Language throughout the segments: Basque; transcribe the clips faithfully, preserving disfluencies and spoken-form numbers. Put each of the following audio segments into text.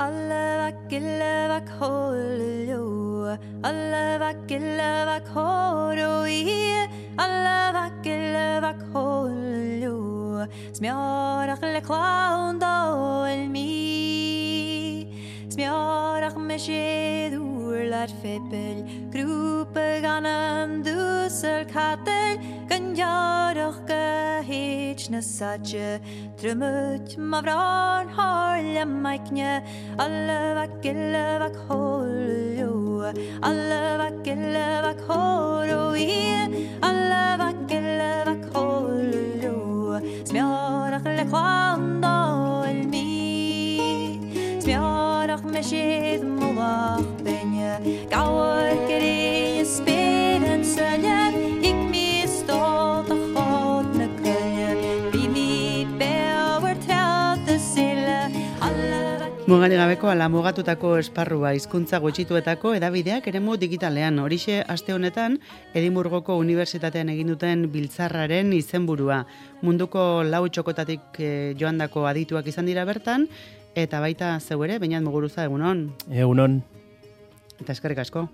Alla vakilla vakholo, alla vakilla vakholo, alla vakilla vakholo. Smjörach le kvaundo el mi, smjörach me skedur lat feppel, gruppe ganem dusel katel, ganjarach gehitchne satje, trumut mavran harle maikne, alle vakille vakholo, alle vakille vakholo, alle vakille vakholo. Smjörach le kvando el mi, smjörach me skid moach benje, gauer gereje spelen sölje, ik mi stolt och hot me kölje, vi mi bewer telt de sille, alle Mugari gabeko ala mugatutako esparrua hizkuntza gutxituetako edabideak eremu digitalean. Horixe aste honetan Edinburgoko Unibertsitatean egin duten biltzarraren izenburua. Munduko lau txokotatik eh, joandako adituak izan dira bertan, eta baita zeu ere, Beñat Muguruza, egunon. Egunon. Eta eskerrik asko,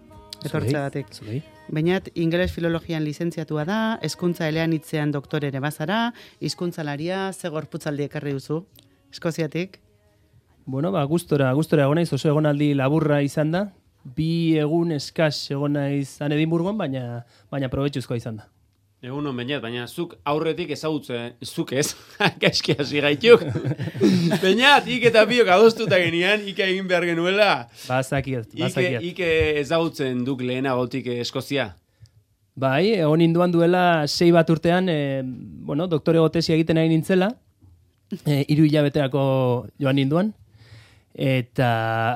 etortzeagatik. Zuri. Beñat, ingeles filologian lizentziatua da, hezkuntza eleanitzean doktore ere bazara, hizkuntzalaria, ze gorputzaldi ekarri duzu, Eskoziatik? Bueno, ba, gustora, gustora egon naiz, oso egonaldi laburra izan da. Bi egun eskas egon naiz han Edinburgon, baina baina probetxuzkoa izan da. Egunon Beñat, baina zuk aurretik ezagutzen, zuk ez, gaizki hasi gaituk. Beñat, ik eta biok adostuta genian, ike egin behar genuela. Bazakiat, bazakiat. Ike, ike ezagutzen duk lehenagotik Eskozia. Bai, egon induan duela sei bat urtean, e, bueno, doktore tesia egiten ari nintzela, e, hiru hilabeterako joan ninduan. Eta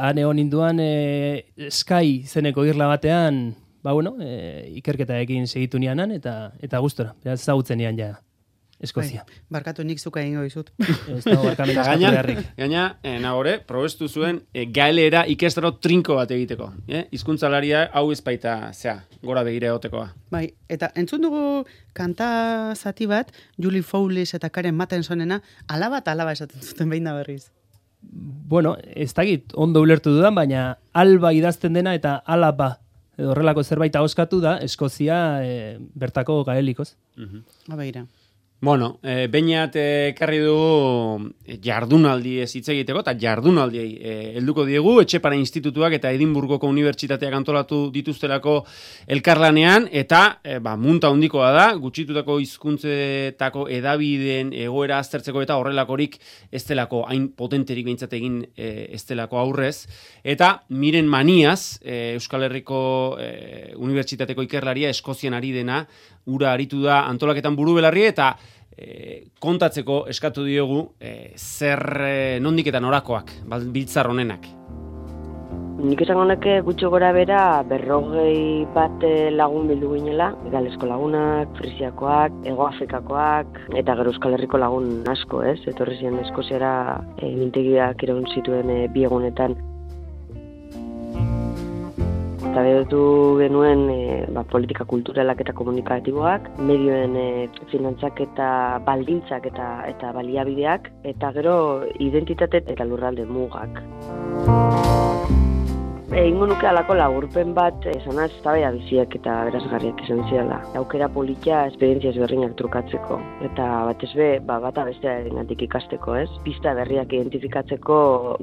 han egon ninduan e, Sky zeneko irla batean, ba bueno, e, ikerketa egin segitu nianan, eta eta gustora, beraz ezagutzen nian ja Eskozia. Bai, barkatu nik zuka egingo dizut. Ez dago barkamena eskatu beharrik. Gaina, eh, nagore, probestu zuen e, gaelera ikestaro trinko bat egiteko. Eh? Hizkuntzalaria hau ezpaita, zea, gora begira egotekoa. Bai, eta entzun dugu kanta zati bat, Julie Fowlis eta Karen Mattensonena, alaba eta alaba esaten zuten behin da berriz. Bueno, ez dakit ondo ulertu dudan, baina alba idazten dena eta alaba edo horrelako zerbait ahoskatu da Eskozia e, bertako gaelikoz. Uh-huh. Abeira. Bueno, e, Beñat ekarri dugu jardunaldi ez hitz egiteko, eta jardunaldiei e, helduko diegu, Etxepare Institutuak eta Edinburgoko Unibertsitateak antolatu dituztelako elkarlanean, eta e, ba, munta handikoa da, gutxitutako hizkuntzetako edabideen egoera aztertzeko eta horrelakorik ez delako, hain potenterik behintzat egin e, ez delako aurrez, eta Miren Maniaz, e, Euskal Herriko e, Unibertsitateko ikerlaria Eskozian ari dena, ura aritu da antolaketan buru belarri, eta e, kontatzeko eskatu diogu e, zer e, nondik eta norakoak, biltzar honenak. Nik esango neke gutxo gora bera berrogei bat lagun bildu ginela, Galesko lagunak, Frisiakoak, Hego Afrikakoak, eta gero Euskal Herriko lagun asko, ez? Etorri ziren Eskoziara e, mintegiak iraun zituen e, bi egunetan. Eta bedotu genuen e, ba, politika kulturalak eta komunikatiboak, medioen e, finantzak eta baldintzak eta eta baliabideak, eta gero identitate eta lurralde mugak. Egingo nuke alako laburpen bat, esanaz, tabaia biziak eta berazgarriak izan ziala. Aukera politia esperientzia ezberdinak trukatzeko. Eta batez be, ba, bata bestearengatik ikasteko, ez? Pista berriak identifikatzeko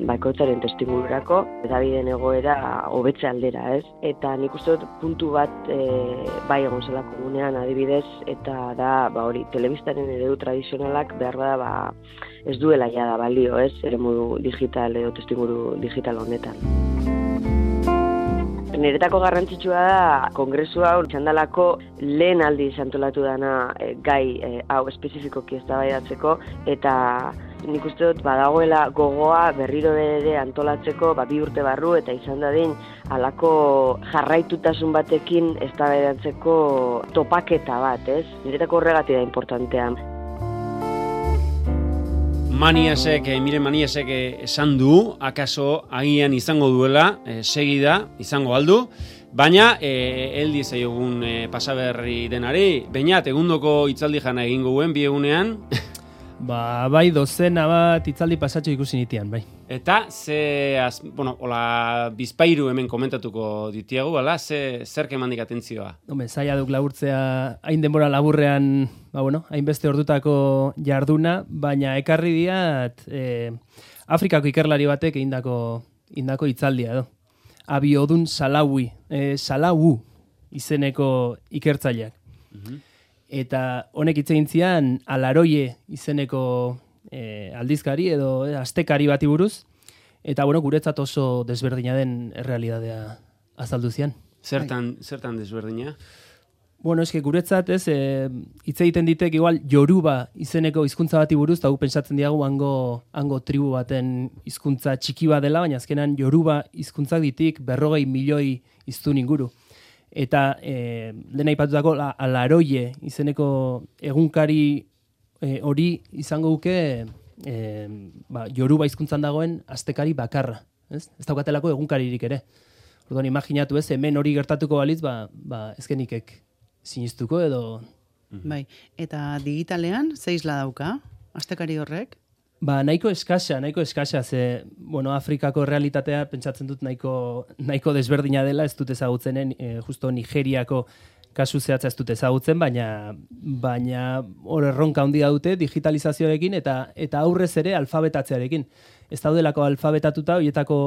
bakoitzaren testimurako, eta biden egoera hobetze aldera, ez? Eta nik uste dut puntu bat e, bai egon zela komunean adibidez, eta da, ba hori, telebistaren eredu tradizionalak behar bada, ba, ez duela ja da balio, ez? Eremu digital edo testimuru digital honetan. Niretako garrantzitsua da kongresu hau txandalako lehen aldiz antolatu dana e, gai e, hau espezifikoki eztabaidatzeko, eta nik uste dut badagoela gogoa berriro ere antolatzeko ba, bi urte barru eta izan dadin halako jarraitutasun batekin eztabaidatzeko topaketa bat, ez? Niretako horregatik da importantea. Maniasek, eh, Miren Maniasek eh, esan du, akaso agian izango duela, eh, segida, izango aldu, baina eh, eldi zaiogun eh, pasaberri denari, Beñat, egundoko hitzaldi jana egingo guen, bi egunean. Ba, bai, dozena bat itzaldi pasatxo ikusi nitian, bai. Eta, ze, az, bueno, hola, bizpairu hemen komentatuko ditiagu, ala, ze, zer kemandik atentzioa? Hombre, zaila duk laburtzea, hain denbora laburrean, ba, bueno, hainbeste ordutako jarduna, baina ekarri diat, eh, Afrikako ikerlari batek indako, indako itzaldia, edo. Abiodun Salawi, eh, Salawu izeneko ikertzaileak. Mhm. Eta honek hitz egin zian Alaroie izeneko e, aldizkari edo e, astekari bati buruz, eta bueno, guretzat oso desberdina den errealitatea azaldu zian. Zertan, zertan desberdina? Bueno, eske guretzat ez, e, hitz egiten ditek igual Yoruba izeneko hizkuntza bati buruz, eta gu pentsatzen diagu hango, hango tribu baten hizkuntza txiki bat dela, baina azkenan Yoruba hizkuntzak ditik berrogei milioi hiztun inguru. Eta e, lehen aipatutako la, Alaroie izeneko egunkari e, hori izango duke e, ba, Yoruba hizkuntzan dagoen astekari bakarra. Ez, ez daukatelako egunkaririk ere. Orduan, imaginatu ez, hemen hori gertatuko balitz, ba, ba ezkenikek sinistuko edo... Bai, eta digitalean, ze isla dauka, astekari horrek? Ba, nahiko eskasa, nahiko eskasa, ze, bueno, Afrikako realitatea pentsatzen dut nahiko, nahiko desberdina dela, ez dut ezagutzenen, e, justo Nigeriako kasu zehatza ez dut ezagutzen, baina baina hor erronka handia dute digitalizazioarekin eta eta aurrez ere alfabetatzearekin. Ez daudelako alfabetatuta, horietako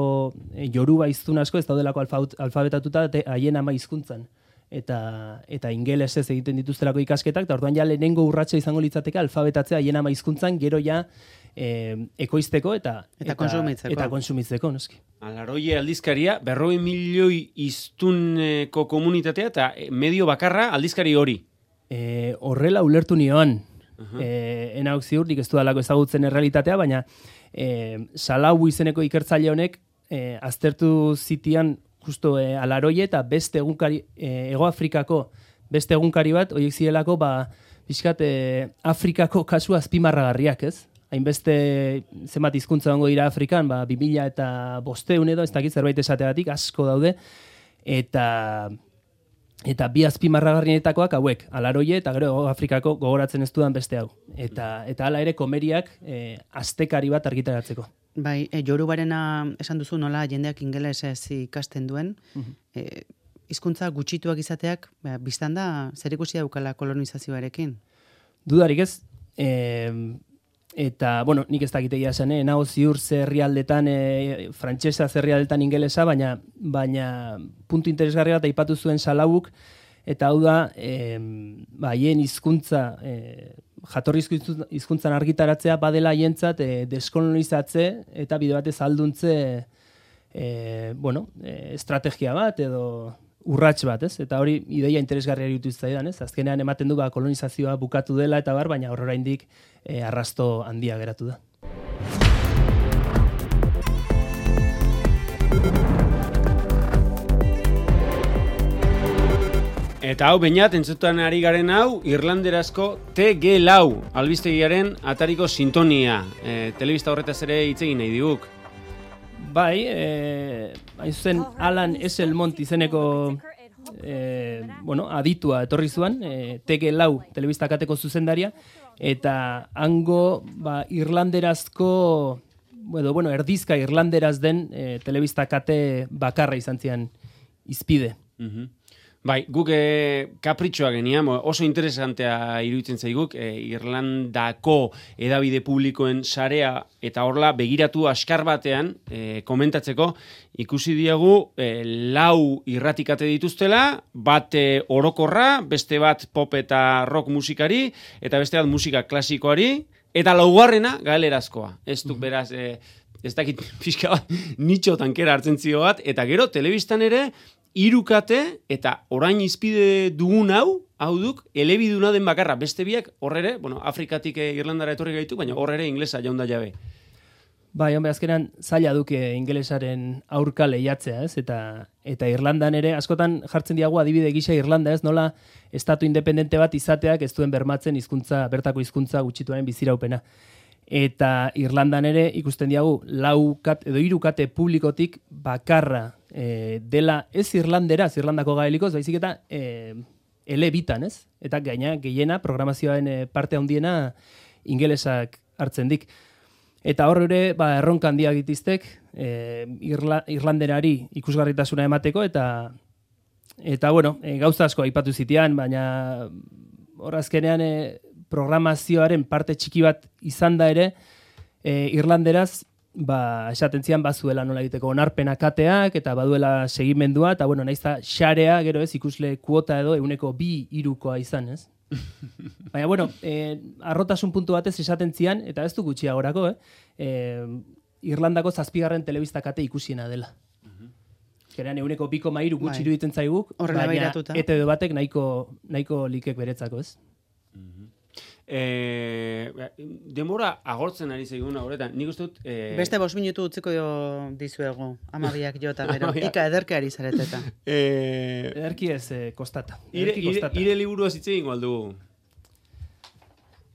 e, Yoruba hiztun asko, ez daudelako alfa, alfabetatuta haien ama hizkuntzan. Eta, eta ingelesez egiten dituztelako ikasketak, eta orduan ja lehenengo urratsa izango litzateke alfabetatzea haien ama hizkuntzan, gero ja E, ekoizteko eta eta, eta konsumitzeko. Eta konsumitzeko, noski. Alaroie aldizkaria, berrogei milioi hiztuneko komunitatea eta medio bakarra aldizkari hori. E, horrela ulertu nioan. Uh-huh. E, enauk ziur, nik ez dudalako ezagutzen errealitatea, baina e, Salawu izeneko ikertzaile honek e, aztertu zitian justo e, Alaroie eta beste egunkari, e, Ego Afrikako beste egunkari bat, horiek zirelako, ba, pixkat, e, Afrikako kasu azpimarragarriak, ez? Hainbeste zenbat hizkuntza dago dira Afrikan, ba, bi mila eta bosteun edo, ez dakit zerbait esateagatik, asko daude, eta eta bi azpimarragarrienetakoak hauek, Alaroie eta gero Afrikako gogoratzen ez dudan beste hau. Eta eta hala ere komeriak e, astekari bat argitaratzeko. Bai, e, Yorubarena esan duzu nola jendeak ingelesez ikasten duen, Mhm. e, hizkuntza gutxituak izateak, ba, biztan da, zer ikusi daukala kolonizazioarekin? Dudarik ez, e, eta, bueno, nik ez dakitegia esan, eh? Nago ziur zerrialdetan, e, frantsesa zerrialdetan ingelesa, baina, baina puntu interesgarria bat aipatu zuen Salawuk, eta hau da, e, ba, haien hizkuntza, e, jatorrizko hizkuntzan argitaratzea badela haientzat e, deskolonizatze eta bide batez alduntze e, bueno, e, estrategia bat edo urrats bat, ez? Eta hori ideia interesgarria iruditu zitzaidan, ez? Azkenean ematen du ba kolonizazioa bukatu dela eta bar, baina hor oraindik e, arrasto handia geratu da. Eta hau, bainat, entzutan ari garen hau, irlanderazko T G lau albistegiaren atariko sintonia. E, telebista horretaz ere hitz egin nahi diguk. Bai, eh, hain zuzen Alan Esselmont izeneko eh, bueno, aditua etorri zuen, eh, T G lau telebista kateko zuzendaria, eta hango ba, irlanderazko, bueno, bueno, erdizka irlanderaz den eh, telebista kate bakarra izan zian izpide. Mhm. Bai, guk e, kapritxoa genian, oso interesantea iruditzen zaiguk, e, Irlandako edabide publikoen sarea eta horla begiratu askar batean e, komentatzeko, ikusi diegu e, lau irratikate dituztela, bat e, orokorra, beste bat pop eta rock musikari, eta beste bat musika klasikoari, eta laugarrena galerazkoa. Ez duk beraz... E, ez dakit pixka bat nitxo tankera hartzen zio bat, eta gero telebistan ere hirukate eta orain izpide dugun hau, hau duk, elebiduna den bakarra, beste biak horrere, bueno, Afrikatik Irlandara etorri gaitu, baina horrere inglesa jaunda jabe. Bai, hombre, azkenan zaila duke ingelesaren aurka lehiatzea, ez? Eta eta Irlandan ere askotan jartzen diagu adibide gisa Irlanda, ez? Nola estatu independente bat izateak ez duen bermatzen hizkuntza, bertako hizkuntza gutxituaren biziraupena. Eta Irlandan ere ikusten diagu lau kat edo hiru kate publikotik bakarra e, dela ez irlanderaz, Irlandako gaelikoz, baizik eta e, ele bitan, ez? Eta gaina gehiena programazioaren e, parte handiena ingelesak hartzen dik. Eta hor ere, ba, erronka handiak ditiztek, e, Irla, Irlanderari ikusgarritasuna emateko, eta eta bueno, e, gauza asko aipatu zitean, baina hor azkenean e, programazioaren parte txiki bat izan da ere, e, Irlanderaz, ba, esaten zian bazuela nola egiteko onarpena kateak, eta baduela segimendua, eta bueno, naiz da xarea, gero ez, ikusle kuota edo, euneko bi irukoa izan, ez? Baina, bueno, eh, arrotasun puntu batez esaten zian, eta ez du gutxiagorako, eh? eh Irlandako zazpigarren telebista kate ikusiena dela. Geran euneko biko mairu gutxi iruditzen zaiguk, baina E T B batek nahiko, nahiko likek beretzako, ez? E, demora agortzen ari zaiguna horretan, nik uste dut... E... Beste bost minutu utziko dizuegu, amabiak jota gero, ika ederke ari zareteta. E... Ederki ez eh, kostata. Ire, ire, ire liburu hitz egingo aldugu?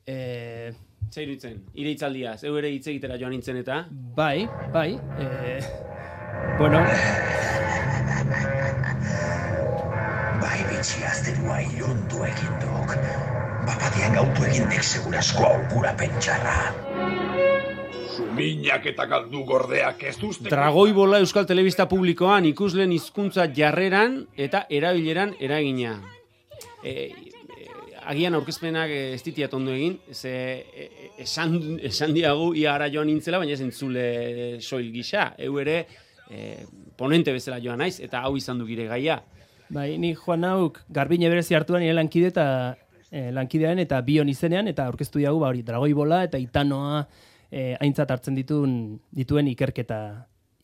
E... Zer iruditzen, ire hitzaldiaz, eu ere hitz egitera joan nintzen eta? Bai, bai, e... bueno... Bai bitxiaztenua ilundu egin duk. Bapatean gautu egin dik segurasko aukura pentsarra. Suminak eta galdu gordeak ez duzte... Dragoi bola Euskal Telebista Publikoan ikusleen hizkuntza jarreran eta erabileran eragina. E, e, agian aurkezpenak ez ditiat ondo egin, ze e, esan, esan diagu ia ara joan nintzela, baina ez entzule soil gisa. Eu ere e, ponente bezala joan naiz, eta hau izan duk ire gaia. Bai, ni joan nauk garbine berezi hartuan nire lankide eta eh, lankidearen eta bion izenean, eta aurkeztu diagu, ba hori, dragoi bola eta itanoa eh, aintzat hartzen dituen, dituen ikerketa,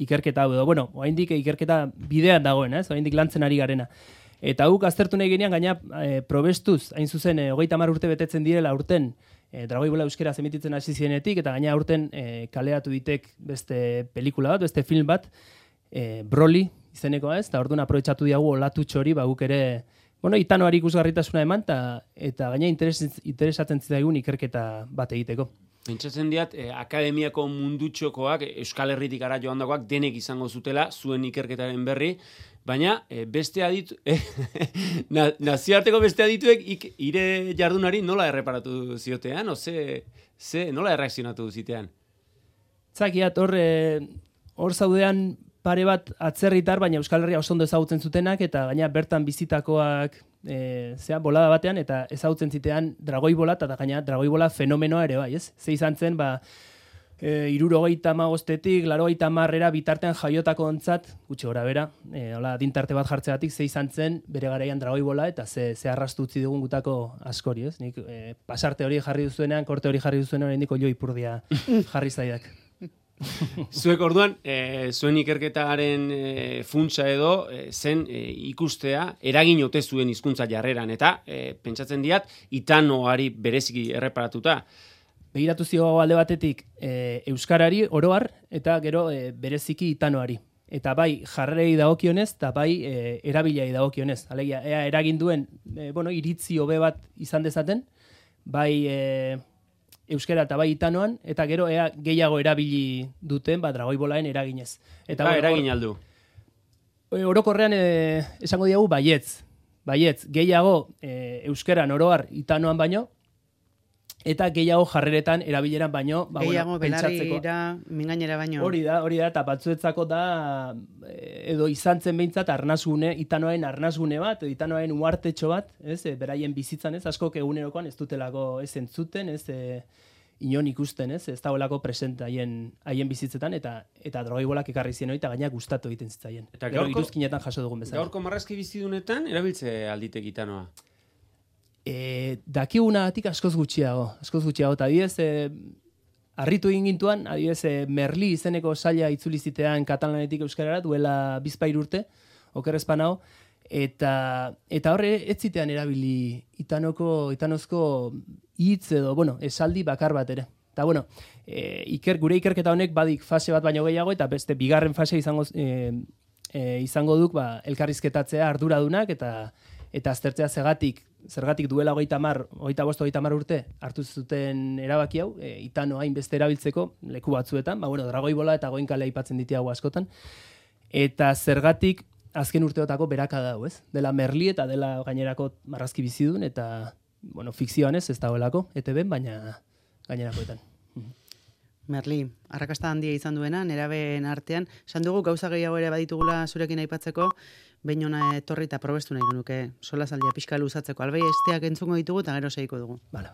ikerketa hau edo. Bueno, oraindik ikerketa bidean dagoen, ez? Oraindik lantzen ari garena. Eta guk aztertu nahi genean, gaina eh, probestuz, hain zuzen, eh, hogeita hamar urte betetzen direla urten, eh, dragoi bola euskera zemititzen hasi zienetik, eta gaina urten eh, kaleatu ditek beste pelikula bat, beste film bat, eh, Broly, izenekoa ez, eta orduan aprobetxatu diagu olatutxo hori, ba, guk ere, bueno, itanoari ikusgarritasuna eman, ta, eta gaina interes, interesatzen zitzaigun ikerketa bat egiteko. Pentsatzen diat, eh, akademiako mundutxokoak, Euskal Herritik ara joan dagoak, denek izango zutela, zuen ikerketaren berri, baina eh, beste aditu, eh, na, nazioarteko beste adituek ik, ire jardunari nola erreparatu ziotean, o ze, ze nola erreakzionatu zitean? Zakiat, hor, hor zaudean, pare bat atzerritar, baina Euskal Herria oso ondo ezagutzen zutenak, eta gaina bertan bizitakoak e, zea, bolada batean, eta ezagutzen zitean dragoi bola, eta gaina dragoi bola fenomenoa ere bai, ez? Ze izan zen, ba, e, irurogeita magostetik, larogeita marrera bitartean jaiotako ontzat, gutxi gora bera, e, hola, dintarte bat jartzeatik, ze izan zen, bere garaian dragoi bola, eta ze, ze arrastu utzi dugun gutako askori, ez? Nik e, pasarte hori jarri duzuenean, korte hori jarri duzuenean, oraindik oilo ipurdia jarri zaidak. Zuek orduan, e, zuen ikerketaren e, funtsa edo e, zen e, ikustea eragin ote zuen hizkuntza jarreran, eta e, pentsatzen diat itanoari bereziki erreparatuta. Begiratu zio alde batetik e, euskarari oroar eta gero e, bereziki itanoari. Eta bai jarrerei dagokionez eta bai e, erabilai dagokionez. Alegia, ea eragin duen e, bueno, iritzi hobe bat izan dezaten, bai e, euskera eta bai itanoan, eta gero ea gehiago erabili duten, ba, dragoi bolaen eraginez. Eta ba, eragin aldu? Orokorrean e, esango diagu baietz. Baietz, gehiago e, euskeran oroar itanoan baino, eta gehiago jarreretan erabileran baino, ba, gehiago bueno, pentsatzeko. belarira, mingainera baino. Hori da, hori da, eta batzuetzako da, edo izan zen behintzat arnazgune, itanoen arnazgune bat, edo itanoen uartetxo bat, ez, e, beraien bizitzan, ez, askok egunerokoan ez dutelako ez entzuten, ez, e, inon ikusten, ez, ez dagoelako present haien, haien bizitzetan, eta eta drogoi bolak ekarri zien hori, eta gainak gustatu egiten zitzaien. Eta gaurko, iruzkinetan jaso dugun bezala. Gaurko marrazki bizidunetan, erabiltze alditek itanoa? E, dakigunatik askoz gutxiago, askoz gutxiago, eta adibidez, e, harritu egin gintuan, adibidez, e, Merli izeneko saila itzuli zitean katalanetik euskarara, duela bizpair urte, okerrezpanao, eta, eta horre ez zitean erabili itanoko, itanozko hitz edo, bueno, esaldi bakar bat ere. Eta, bueno, e, iker, gure ikerketa honek badik fase bat baino gehiago, eta beste bigarren fase izango, e, e, izango duk, ba, elkarrizketatzea arduradunak, eta eta aztertzea zergatik, zergatik duela hogeita hamar, hogeita bost, hogeita hamar urte hartu zuten erabaki hau, e, itano hainbeste erabiltzeko leku batzuetan, ba, bueno, dragoi bola eta goinkale aipatzen ditiago askotan, eta zergatik azken urteotako beraka dago, ez? Dela Merli eta dela gainerako marrazki bizidun, eta, bueno, fikzioan ez, ez dagoelako, E T B, baina gainerakoetan. Merli, arrakasta handia izan duena, nerabeen artean, esan dugu gauza gehiago ere baditugula zurekin aipatzeko, behin ona etorri eta probestu nahi genuke, sola zaldia pixka luzatzeko, albei esteak entzungo ditugu eta gero segiko dugu. Bale,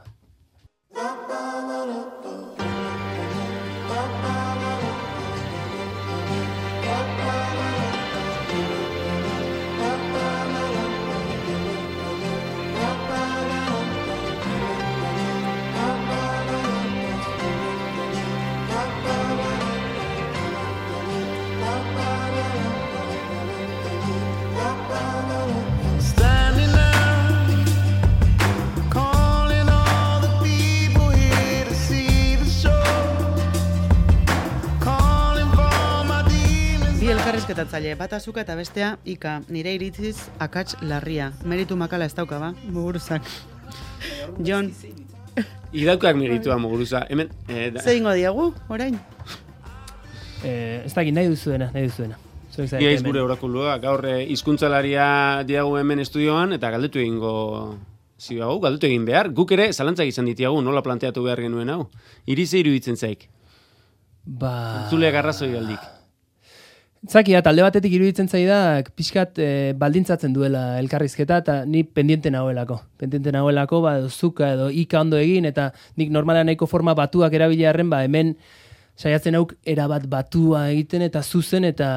Elkarrizketatzaile, bat azuka eta bestea Ika, nire iritziz akats larria. Meritu makala ez dauka, ba, muguruzak. Jon. Idaukak meritua muguruza. Hemen, eh, da... Zer ingo diagu, orain? Eh, ez dakit nahi duzuena, nahi duzuena. Ia izgure orakulua, gaur hizkuntzalaria diagu hemen estudioan, eta galdetu egingo ziagu, galdetu egin behar. Guk ere zalantzak izan ditiagu, nola planteatu behar genuen hau. Irize iruditzen zaik. Ba... Zule garrazoi aldik. Zakia, talde batetik iruditzen zaidak pixkat e, baldintzatzen duela elkarrizketa eta ni pendiente nagoelako. Pendiente nagoelako, ba, zuka edo ika ondo egin eta nik normala nahiko forma batuak erabilearren, ba, hemen saiatzen hauk erabat batua egiten eta zuzen eta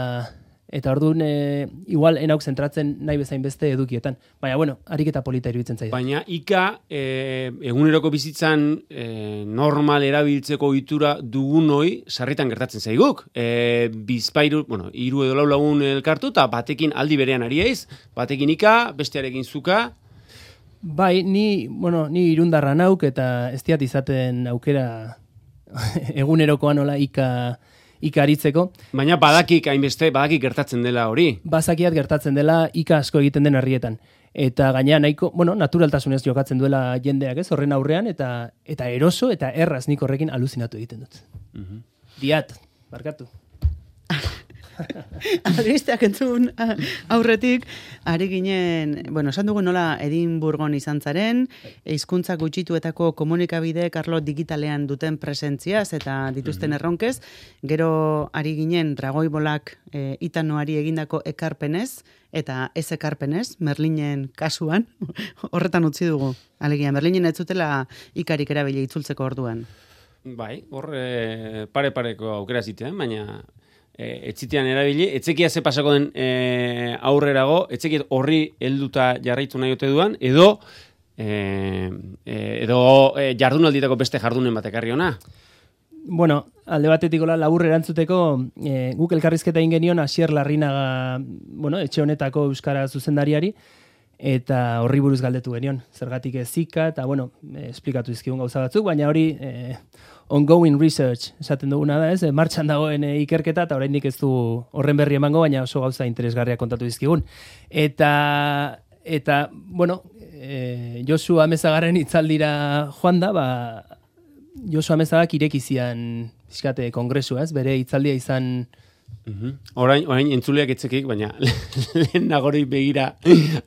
eta orduan e, igual enauk zentratzen nahi bezain beste edukietan. Baina, bueno, ariketa polita iruditzen zaidak. Baina ika e, eguneroko bizitzan e, normal erabiltzeko ohitura dugunoi sarritan gertatzen zaiguk. E, bizpairu, bueno, hiru edo lau lagun elkartu eta batekin aldi berean ari eiz, batekin ika, bestearekin zuka. Bai, ni, bueno, ni irundarra nauk eta ez diat izaten aukera egunerokoan nola ika ikaritzeko. Baina badakik hainbeste, badakik gertatzen dela hori. Bazakiat gertatzen dela ika asko egiten den herrietan. Eta gaina nahiko, bueno, naturaltasunez jokatzen duela jendeak, ez, horren aurrean, eta eta eroso eta erraz nik horrekin aluzinatu egiten dut. Uh-huh. Diat, barkatu. Albisteak entzun aurretik, ari ginen, bueno, esan dugu nola Edinburgon izan zaren, hizkuntza gutxituetako komunikabide Karlo digitalean duten presentziaz eta dituzten erronkez, gero ari ginen Dragoi Bolak e, Itanoari egindako ekarpenez, eta ez ekarpenez, Merlinen kasuan, horretan utzi dugu. Alegia, Merlinen ez zutela ikarik erabili itzultzeko orduan. Bai, hor e, pare-pareko aukera zitean, baina... E, etzitean erabili, etzekia ze pasako den e, aurrerago, etzekiet horri helduta jarraitu nahi ote duan, edo e, e, edo e, jardunalditako beste jardunen bat ekarri ona. Bueno, alde batetik labur erantzuteko, e, guk elkarrizketa egin genion Asier Larrinaga, bueno, etxe honetako euskara zuzendariari, eta horri buruz galdetu genion, zergatik ezika, eta bueno, e, esplikatu izkigun gauza batzuk, baina hori e, ongoing research esaten duguna da, ez? E, martxan dagoen e, ikerketa, eta oraindik ez du horren berri emango, baina oso gauza interesgarria kontatu dizkigun. Eta, eta bueno, e, Josu Amezagarren hitzaldira joan da, ba, Josu Amezagak irekizian fiskate kongresua, ez? Bere hitzaldia izan... Uhum. Orain, orain entzuleak etzekik, baina lehen nagori begira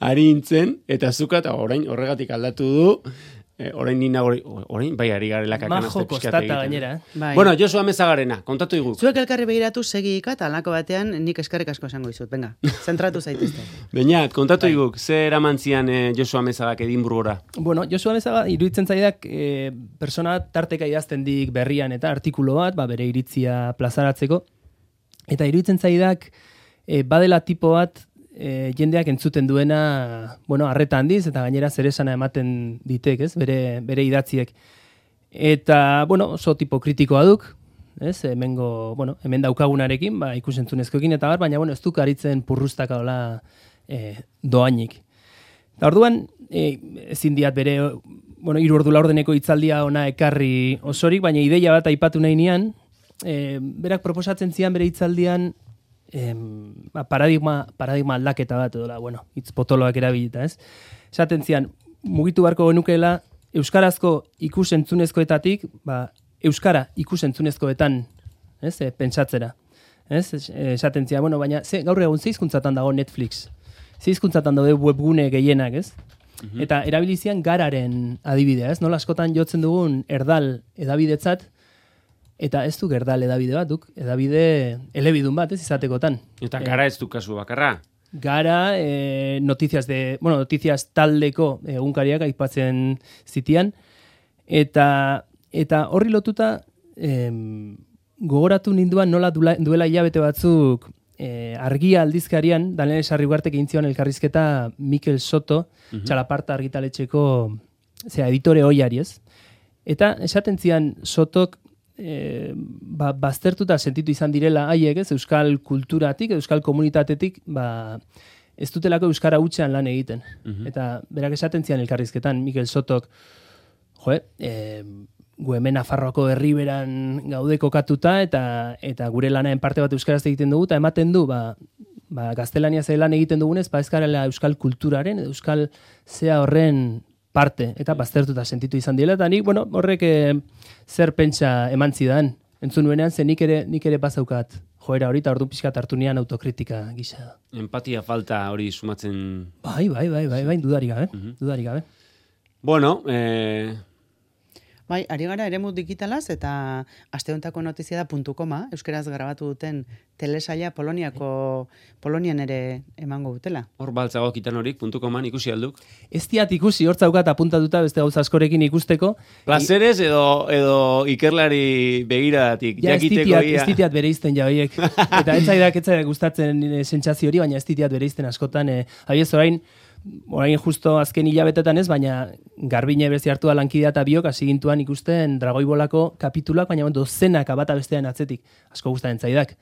ari intzen, eta zuka, eta orain horregatik aldatu du, e, orain ni nagori, orain bai ari garela kakanazte Majo kostata gainera. Eh? Bai. Bueno, Josu Amezagarrena, kontatu iguk. Zuek elkarri begiratu segika eta alako batean nik eskerrik asko esango dizut. Venga, zentratu zaitezte. Beñat, kontatu bai. Iguk, ze eramantzian eh, Josu Amezagak Edinburgora? Bueno, Josu Amezaga iruditzen zaidak eh, persona tarteka idazten dik berrian eta artikulu bat, ba, bere iritzia plazaratzeko. Eta iruditzen zaidak e, badela tipo bat e, jendeak entzuten duena, bueno, arreta handiz eta gainera zeresana ematen ditek, ez? Bere, bere idatziek. Eta, bueno, oso tipo kritikoa duk, ez? Hemengo, bueno, hemen daukagunarekin, ba, ikusentzunezkoekin eta bar, baina, bueno, ez duk aritzen purrustaka hola e, doainik. Eta orduan, e, ezin diat bere, bueno, hiru ordu laurdeneko hitzaldia ona ekarri osorik, baina ideia bat aipatu nahi nian, E, berak proposatzen zian bere hitzaldian e, paradigma, paradigma aldaketa bat edola, bueno, hitz potoloak erabilita, ez? Esaten zian, mugitu beharko genukeela euskarazko ikusentzunezkoetatik, ba, euskara ikusentzunezkoetan, ez? E, pentsatzera. Ez? Esaten zian, bueno, baina ze, gaur egun ze hizkuntzatan dago Netflix. Ze hizkuntzatan daude webgune gehienak, ez? Mm-hmm. Eta erabilizian gararen adibidea, ez? Nola askotan jotzen dugun erdal edabidetzat, eta ez du gerdal edabide bat, duk, edabide elebidun bat, ez izatekotan. Eta gara ez du kasu bakarra. Gara, eh, notiziaz de, bueno, notiziaz taldeko egunkariak aipatzen zitian, eta, eta horri lotuta, em, gogoratu ninduan nola duela, duela hilabete batzuk eh, argia aldizkarian, Daniel Sarriugartek egin zion elkarrizketa Mikel Soto, uh-huh. Txalaparta argitaletxeko zera, editore oiari, ez? Eta esaten zian Sotok E, ba, baztertuta sentitu izan direla haiek, ez, euskal kulturatik, euskal komunitatetik, ba, ez dutelako euskara hutsean lan egiten. Uh-huh. Eta berak esaten zian elkarrizketan, Mikel Sotok, jo, e, gu hemen Nafarroako herriberan gaude kokatuta, eta, eta gure lanaren parte bat euskaraz egiten dugu, eta ematen du, ba, ba, gaztelania ze lan egiten dugunez, ba, ez garela euskal kulturaren, euskal zea horren parte, eta baztertuta sentitu izan dira, eta nik, bueno, horrek e, zer pentsa eman zidan. Entzun nuenean, ze nik ere, nik ere bazaukat joera hori, eta ordu pixkat hartu nian autokritika gisa. Empatia falta hori sumatzen... Bai, bai, bai, bai, bai, dudarik gabe, uh-huh. dudarik gabe. Bueno, eh... Bai, ari gara eremu digitalaz, eta asteontako notizia da puntu koma, euskeraz grabatu duten telesaila Poloniako, Polonian ere emango dutela. Hor baltzago kitan horik, puntu koman ikusi alduk? Ez diat ikusi, hor zaukat apuntatuta beste gauza askorekin ikusteko. Plazeres edo, edo ikerlari begiradatik, ja, jakiteko ia. ia. Ez ditiat bere izten ja horiek. Eta ez zaidak, ez zaidak gustatzen e, sentsazio hori, baina ez ditiat bere izten askotan. E, Abiez orain, orain justo azken hilabetetan ez, baina Garbine berzi hartu lankidea eta biok hasi gintuan ikusten Dragoibolako kapituluak, baina dozenaka bata bestean atzetik. Asko gustatzen zaidak.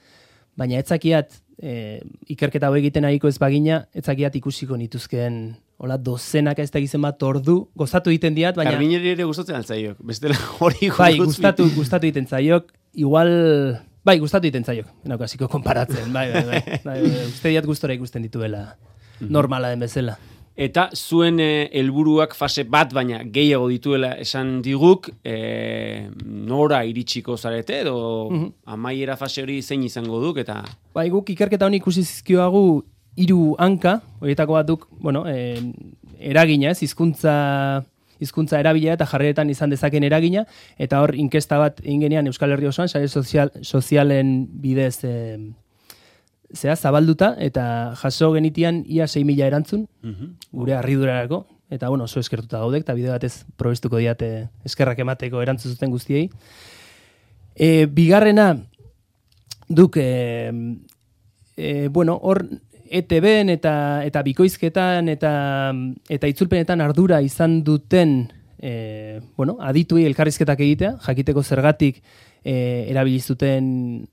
Baina etzakiat, e, ikerketa hau egiten ariko ez bagina, etzakiat ikusiko nituzkeen hola dozenaka ez da gizen bat ordu, gozatu egiten diat, baina... Garbineri ere gustatzen altzaiok, bestela hori bai, gustatu, gustatu egiten zaiok, igual... Bai, gustatu egiten zaiok, naukaziko konparatzen, bai, bai, bai, bai, bai, uste diat gustora ikusten dituela normala den bezala. Eta zuen helburuak e, fase bat, baina gehiago dituela esan diguk, e, nora iritsiko zarete, edo uh-huh. amaiera fase hori zein izango duk, eta... Bai, guk ikerketa honi ikusi zizkioagu hiru hanka, horietako bat duk, bueno, e, eragina ez, hizkuntza hizkuntza erabilera eta jarreretan izan dezaken eragina, eta hor inkesta bat ingenean Euskal Herri osoan, sare sozial, sozialen bidez... E, zea, zabalduta, eta jaso genitian ia sei mila erantzun, uh-huh. gure harridurarako, eta bueno, oso eskertuta gaudek, eta bide batez probestuko diate eskerrak emateko erantzun zuten guztiei. E, bigarrena, duk, e, e, bueno, hor E T B-en eta, eta bikoizketan eta, eta itzulpenetan ardura izan duten e, bueno, adituei elkarrizketak egitea, jakiteko zergatik E, erabilizuten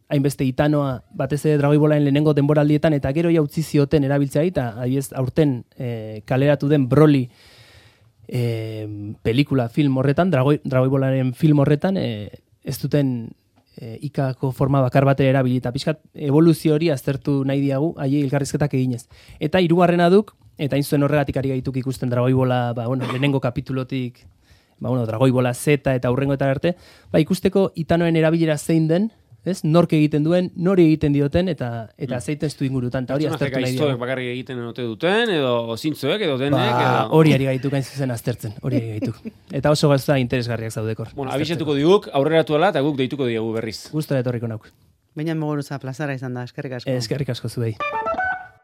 hainbeste itanoa batez ere Dragoibolaen lehenengo denboraldietan eta gero ja utzi zioten erabiltzea eta adibidez aurten e, kaleratu den Broly e, pelikula film horretan, Dragoi, Dragoibolaren film horretan e, ez duten e, ikako forma bakar batera erabili eta pixkat evoluzio hori aztertu nahi diagu haiei elkarrizketak eginez. Eta hirugarrena duk, eta hain zuen horregatik ari gaituk ikusten Dragoibola, ba, bueno, lehenengo kapitulotik ba, bueno, Dragoibola Z eta aurrengoetan arte, ba, ikusteko itanoen erabilera zein den, ez? Nork egiten duen, nori egiten dioten, eta eta mm. zeiten estu ingurutan, eta hori aztertu nahi dira. Bakarrik egiten ote duten, edo zintzoek, edo denek, ba, edo... Hori ari gaituk hain zuzen aztertzen, hori ari gaituk. Eta oso gauza interesgarriak zaudekor. Bueno, abisetuko diguk, aurreratu ala, eta guk deituko diegu berriz. Gustora etorriko nauk. Baina moguruza plazara izan da, eskerrik asko. Eskerrik asko zuei.